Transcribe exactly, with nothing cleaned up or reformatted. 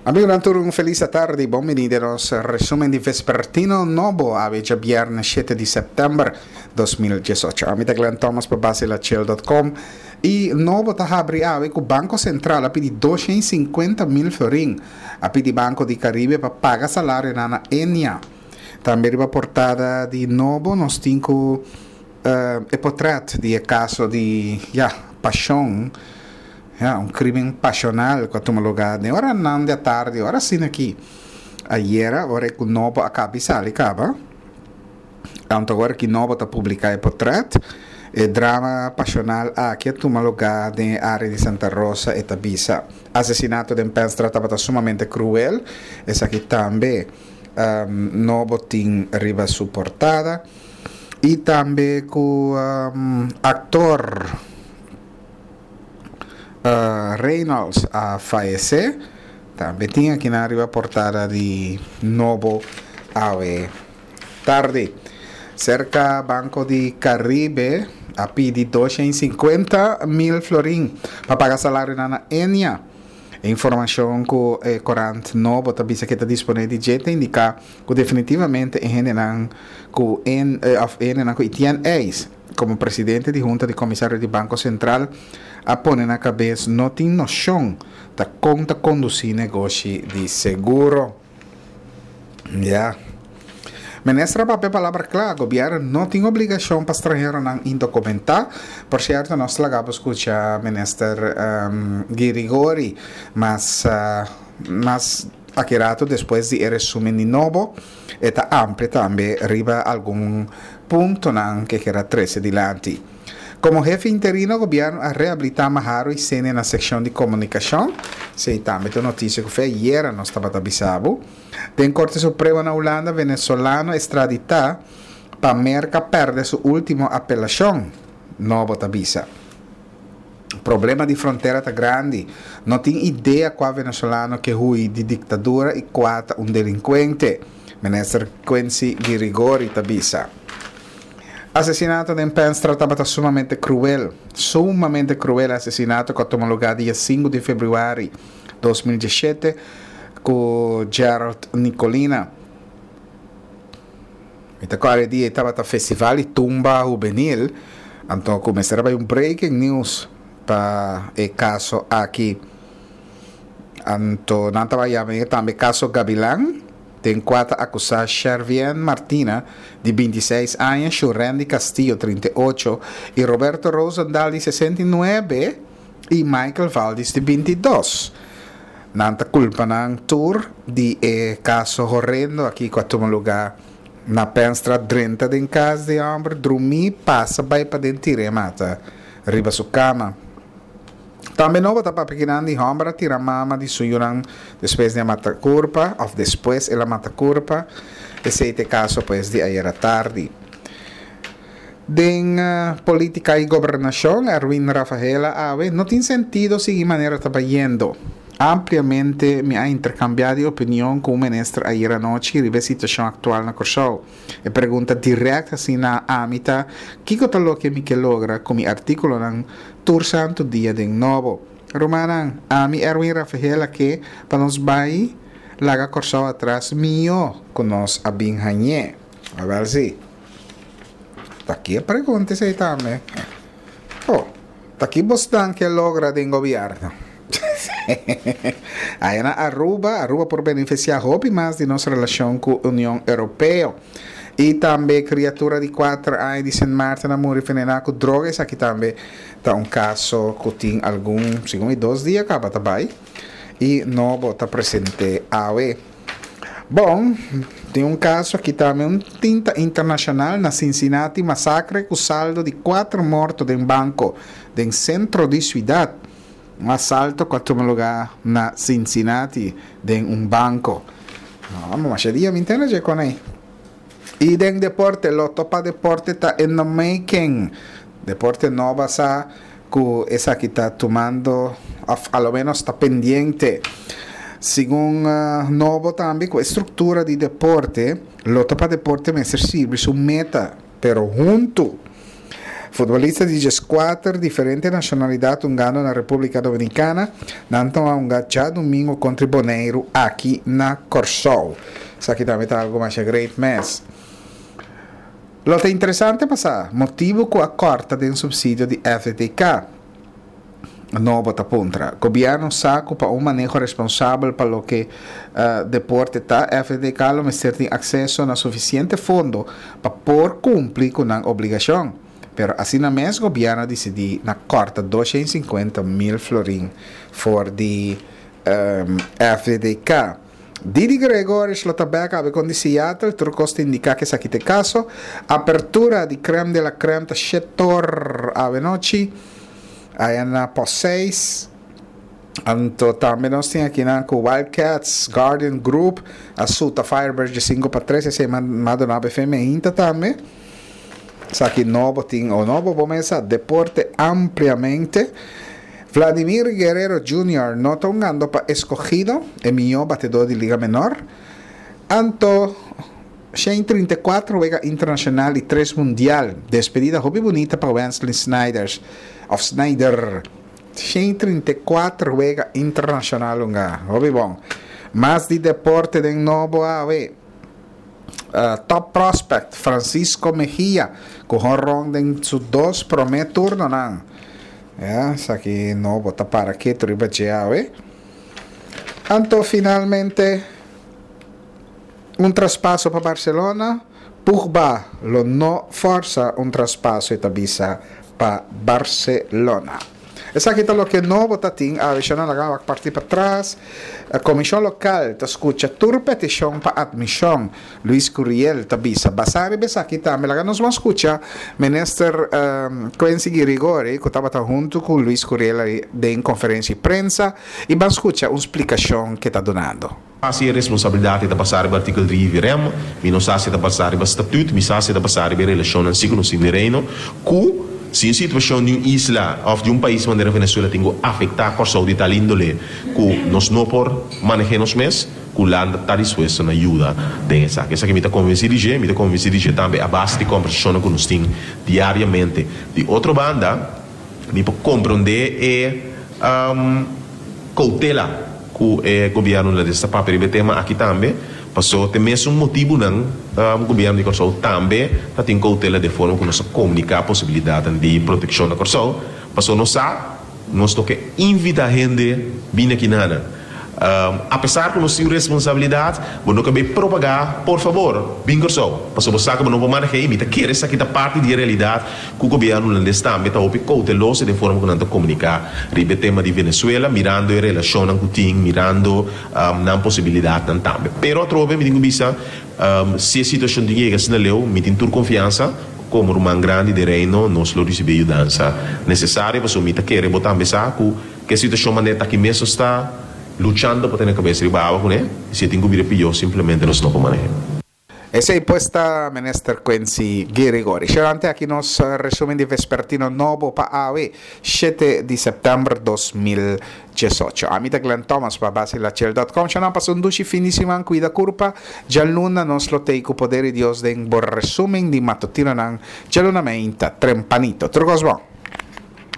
Amigonan tur, un felis atardi. Bon bini den nos resumen di Vespertino Nobo, awe djabièrnè shete di sèptèmber dos mil diesocho. Ami ta Glenn Thomas pa Basilachel punto com i Nobo ta habri awe ku Banko Sentral a pidi doshen i sinkuenta mil florin. A pidi Banko di Karibe pa paga salarionan na Ennia. Tambe riba portada di Nobo nos tin ku e potrèt di e kaso di, ya, pashon. Ya, un crimen pasional cu a tuma lugar den oranan di atardi, ora asina aki. Ayera, ora cu Nobo a cabi sali caba, anto ora ki Nobo ta publica e potret, e drama pasional aki a tuma lugar den e area di Santa Rosa, e ta bisa. Asesinato den Penstraat tabata sumamente cruel, esaki tambe Nobo tin riba su portada. Y tambe cu actor Reynolds a fayesé. Tambe tin akinan riba portada di Nobo awe tardi. Serka Banco di Caribe a pidi dosha i sinkuenta mil florin pa paga salarionan na Ennia. E informashon ku e korant Nobo ta bisa ke ta disponé di dje ta indiká ku definitivamente e hendenan ku en òf e hendenan ku Etienne Eis komo presidente di Hunta di Komisario di Banko Sentral a pone na kabes no tin noshon ta kon ta kondusí negoshi di seguro. Ya. Minister a papia palabra kla, gobièrnu no tin obligashon pa stranheronan indokumentá. Por sierto nos laga bo skucha Minister Girigori mas mas aki rato despues di e resumen di nobo. E ta amplia tambe riba algun puntonan ke keda trese dilanti. Komo hefe interino gobièrnu a rehabilitá Maharo i Sene na sekshon di komunikashon. Esei tambe ta un notisia ku fe ayera nos tabata bisa bo. Den Korte Supremo na Hulanda venezolano estraditá pa Merka pèrdè su último apelashon, Nobo ta bisa. Problema di frontera ta grandi. No tin idea kua venezolano ke hui di diktadura i kua ta un delinkuente, minister Quincy Girigori ta bisa. Asesinato den Penstra tabata sumamente kruel. Sumamente kruel asesinato ku a tuma lugá dia sinku di febrüari dos mil diesshete ku Gerald Nicolina. Mi ta kòrda e dia ei tabata festival di tumba hubenil, anto ku mester a bai un breaking news pa e kaso aki. Anto nan tabata yama e tambe kaso Gabilan, den kua ta akusá Shervien Martina di binti i seis aña, Shurendy Castillo trinta i ocho i Roberto Rosendal di sesenta i nuebe i Michael Valdis di binti i dos. Nan ta kulpa nan tur di e kaso horendo aki ku a tuma lugá na Penstraat. Drenta den kas di e hòmber, drumí, pasa bai paden tira e mata riba su kama. Tambe nobo ta papia kinan di hòmber a tira mama di su yunan despues di a mata kurpa òf despues el a mata kurpa. Esei ta e kaso pues di ayera tardi. Den politika i gobernashon, Erwin Rafaela awe no tin sentido sigui manera ta bayendo. Ampliamente mi a interkambiá di opinion ku un minister ayera anochi riba e situashon aktual na Kòrsou. E pregunta dirèkt hasi na ami ta, kiko ta loke mi ke logra ku mi artíkulonan tur santu dia den Nobo? Rumannan, ami Erwin Rafaela ke pa nos bai laga Kòrsou atras mihó ku nos a bin hañ'é. Awèl si. Ta ki e pregunta esei tambe? Oh, ta ki bosnan ke logra den gobièrnu? Aya na Aruba, Aruba por benefisiá hopi mas di nos relashon ku Union Europeo. I tambe kriatura di kuater aña di Sint Maarten a muri venená ku droga. Esaki tambe ta un kaso ku tin algun, segun mi dos dia kaba ta bai i nobo ta presente awe. Bon, tin un kaso aki tambe, un tinta internashonal na Cincinnati, masakre ku saldo di kuater morto den banko den sentro di siudat. Un asalto ku a tuma lugá na Cincinnati den un banko. No, masha dia mi ntende dje kon ei. I den deporte, Lotto pa Deporte ta in the making. Deporte no basá ku esaki ta tumando òf a lo ménos ta pendiente. Segun Nobo tambe ku e struktura di deporte, Lotto pa Deporte mester sirbi su meta, pero huntu. Futbolista di dieskuater diferente nashonalidat hungando na Repúblika Dominikana, nan ta hunga djadumingu kontra Boneiru aki na Kòrsou. Esaki tambe ta algu masha great mes. Lo ta interesante pa sa motibu ku a kòrta den supsidio di F D T K. Nobo ta puntra. Gobièrnu sa ku pa un maneho responsabel pa loke uh, deporte ta, F D T K lo mester tin akseso na sufisiente fondo pa por kumpli ku nan obligashon. Pero asina mes gobièrnu a disidí na kòrta doshen sinkuenta mil florin for di um, F D T K. Didi Gregorius lo ta bèk awe ku di Seattle, tur kos ta indiká ku esaki ta e kaso. Apertura di Crème de la Crème ta shet'or awe nochi. Aya na pos seis. Anto tambe nos tin aki na ku Wildcats Guardian Group a suta Firebirds di sinku pa tres, esei m'a duna F M ainda tambe. Esaki Nobo tin o Nobo bo mesa deporte ampliamente. Vladimir Guerrero Junior no ta hungando pa Escogido, e mihó batedó di Liga Menor. Anto shen trinta i kuater wega internashonal i tres mundial. Despedida hopi bunita pa Wesley Snyders of Sneijder. shen trinta i kuater wega internashonal hunga. Hopi bon. Mas di deporte den Nobo awe. Uh, top prospect Francisco Mejia ku honron den su dos promé turnonan. Ja, esaki Nobo ta para ketu riba dje awe. Anto finalmente un traspaso pa Barcelona. Pogba lo no forsa un traspaso, e ta bisa, pa Barcelona. Esaki ta loke Nobo ta tin, a na laga parti patras. E komishon lokal ta skucha tur petishon pa atmishon. Luis Curiel ta bisa. Basá riba esaki tambe. Laga nos ban skucha minister um, Quincy Girigorie, ku tabata huntu ku Luis Curiel den konferensia di prensa, i ban skucha un splikashon ku e ta dunando. Asina e responsabilidat ta pasa riba artíkulo tres V R M, mi no sa si ta pasa riba statuut, mi sa si ta pasa riba relashon si ku nos tin Reino, ku si e situashon di un isla òf di un pais manera Venezuela tin ku afektá Kòrsou di tal índole ku nos no por manehá nos mes, ku Hulanda ta dispuesto na yuda den esaki. Esaki mi ta konvensí di dje, mi ta konvensí di dje tambe a base di kombersashon ku nos tin diariamente. Di otro banda, mi por komprondé e um, koutela ku e gobièrnu ta papia riba e tema aki tambe, paso te mesun motibunan um, gobièrnu di Kòrsou tambe ta tin koutela di forma ku nos komuniká posibilidat di protekshon na Kòrsou, paso nos sa nos no ke invitá hende bin aki nada. Um, apesar ku nos tin responsabilidat, bo no ke propagá, por fabor, bin Kòrsou. Paso bo sa ku no por manehá, mi ta kere esaki ta parti di realidat ku gobièrnu hulandes tambe ta hopi kouteloso di forma ku nan ta komuniká riba e tema di Venezuela, mirando e relashon ku tin, mirando um, nan posibilidatnan tambe. Pero atrobe mi tin ku bisa, um, si e situashon di yega asina leu, mi tin tur konfiansa komo ruman grandi di Reino, nos lo risibí yudansa nesesario, paso mi ta kere bo tambe sa ku ku e situashon manera aki mes ta luchando pa tene kabes riba awa kuné, si tin ku bira pió, simplemente nos no por manehá. Esei pues ta minister Quincy Girigorie. Sherante aki nos resúmen di vespertino Nobo pa awe, shete di sèptèmber dos mil diesocho. Ami ta Glenn Thomas pa basilachel punto com. Shana, pasa un dushi fin di siman, kuida kurpa. Djaluna nos lo tei ku poder di Dios den bo resúmen di matutinonan. Djaluna mainta, tempranito. Tur kos bon.